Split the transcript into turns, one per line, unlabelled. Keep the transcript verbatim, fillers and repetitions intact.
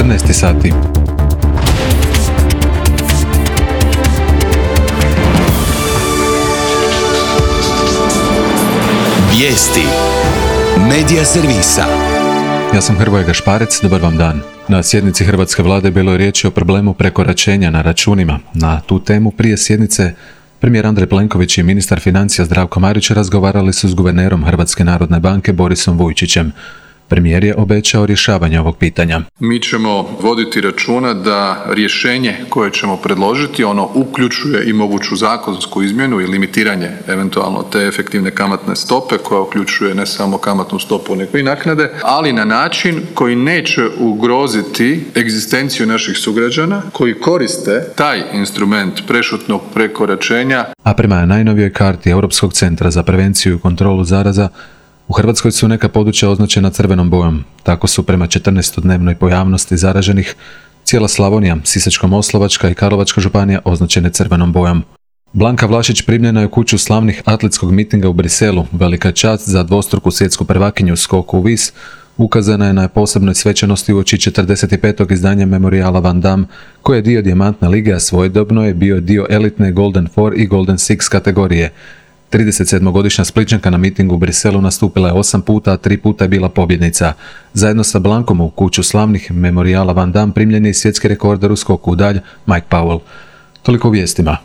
četrnaest sati.
Vijesti Medija servisa.
Ja sam Hrvoje Gašparec, dobar vam dan. Na sjednici Hrvatske vlade bilo je riječi o problemu prekoračenja na računima. Na tu temu prije sjednice premijer Andrej Plenković i ministar financija Zdravko Marić razgovarali su s guvernerom Hrvatske narodne banke Borisom Vujčićem. Premijer je obećao rješavanje ovog pitanja.
Mi ćemo voditi računa da rješenje koje ćemo predložiti, ono uključuje i moguću zakonsku izmjenu i limitiranje eventualno te efektivne kamatne stope koja uključuje ne samo kamatnu stopu nego i naknade, ali na način koji neće ugroziti egzistenciju naših sugrađana koji koriste taj instrument prešutnog prekoračenja.
A prema najnovijoj karti Europskog centra za prevenciju i kontrolu zaraza, u Hrvatskoj su neka područja označena crvenom bojom. Tako su prema četrnaestodnevnoj pojavnosti zaraženih cijela Slavonija, Sisačko-moslavačka i Karlovačka županija označene crvenom bojom. Blanka Vlašić primljena je u kuću slavnih atletskog mitinga u Briselu. Velika čast za dvostruku svjetsku prvakinju u skoku u vis ukazana je na posebnoj svečanosti uoči četrdeset petog izdanja memorijala Van Damme, koji je dio dijamantne lige, a svojedobno je bio dio elitne Golden Four i Golden Six kategorije. tridesetsedmogodišnja Splićanka na mitingu u Briselu nastupila je osam puta, a tri puta je bila pobjednica. Zajedno sa Blankom u kuću slavnih memorijala Van Damme primljen je svjetski rekorder u skoku u dalj Mike Powell. Toliko u vijestima.